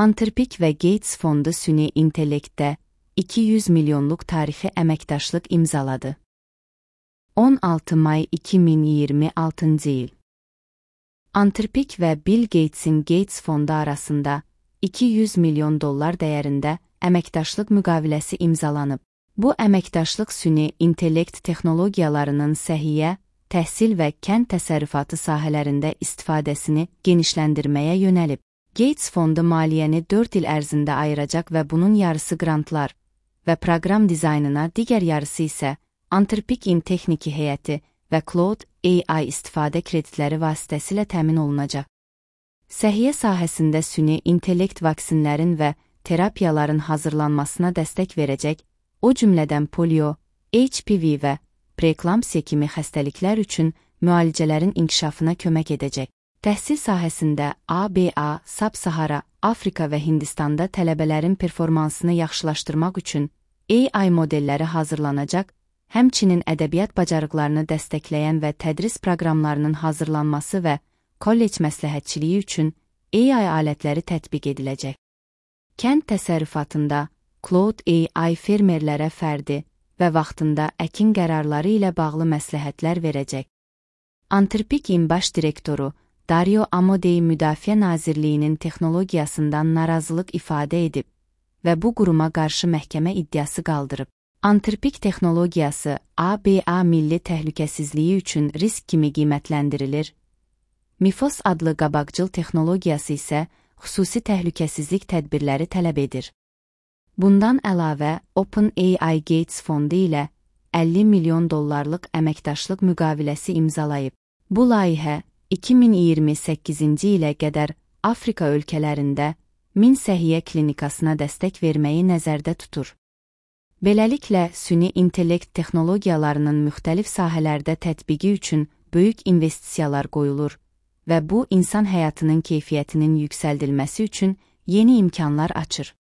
Anthropic və Gates Fondu süni intellektdə 200 milyonluq tarixi əməkdaşlıq imzaladı. 16 may 2026 il. Anthropic və Bill Gates'in Gates Fondu arasında $200 milyon dəyərində əməkdaşlıq müqaviləsi imzalanıb. Bu əməkdaşlıq süni intellekt texnologiyalarının səhiyyə, təhsil və kənd təsərrüfatı sahələrində istifadəsini genişləndirməyə yönəlib. Gates Fondu maliyyəni 4 il ərzində ayıracaq və bunun yarısı qrantlar və proqram dizaynına, digər yarısı isə Anthropic-in texniki heyəti və Cloud AI istifadə kreditləri vasitəsilə təmin olunacaq. Səhiyyə sahəsində süni intellekt vaksinlərin və terapiyaların hazırlanmasına dəstək verəcək, o cümlədən polio, HPV və preeklamsiya kimi xəstəliklər üçün müalicələrin inkişafına kömək edəcək. Təhsil sahəsində ABA, Sub-Sahara, Afrika və Hindistanda tələbələrin performansını yaxşılaşdırmaq üçün AI modelləri hazırlanacaq, həmçinin ədəbiyyat bacarıqlarını dəstəkləyən və tədris proqramlarının hazırlanması və kollec məsləhətçiliyi üçün AI alətləri tətbiq ediləcək. Kənd təsərrüfatında Cloud AI fermerlərə fərdi və vaxtında əkin qərarları ilə bağlı məsləhətlər verəcək. Anthropic-in baş direktoru Dario Amodei Müdafiə Nazirliyinin texnologiyasından narazılıq ifadə edib və bu quruma qarşı məhkəmə iddiası qaldırıb. Anthropic texnologiyası ABA milli təhlükəsizliyi üçün risk kimi qiymətləndirilir. MIFOS adlı qabaqcıl texnologiyası isə xüsusi təhlükəsizlik tədbirləri tələb edir. Bundan əlavə, OpenAI Gates Fondu ilə $50 milyon əməkdaşlıq müqaviləsi imzalayıb. Bu layihə 2028-ci ilə qədər Afrika ölkələrində 1000 səhiyyə klinikasına dəstək verməyi nəzərdə tutur. Beləliklə, süni intellekt texnologiyalarının müxtəlif sahələrdə tətbiqi üçün böyük investisiyalar qoyulur və bu, insan həyatının keyfiyyətinin yüksəldilməsi üçün yeni imkanlar açır.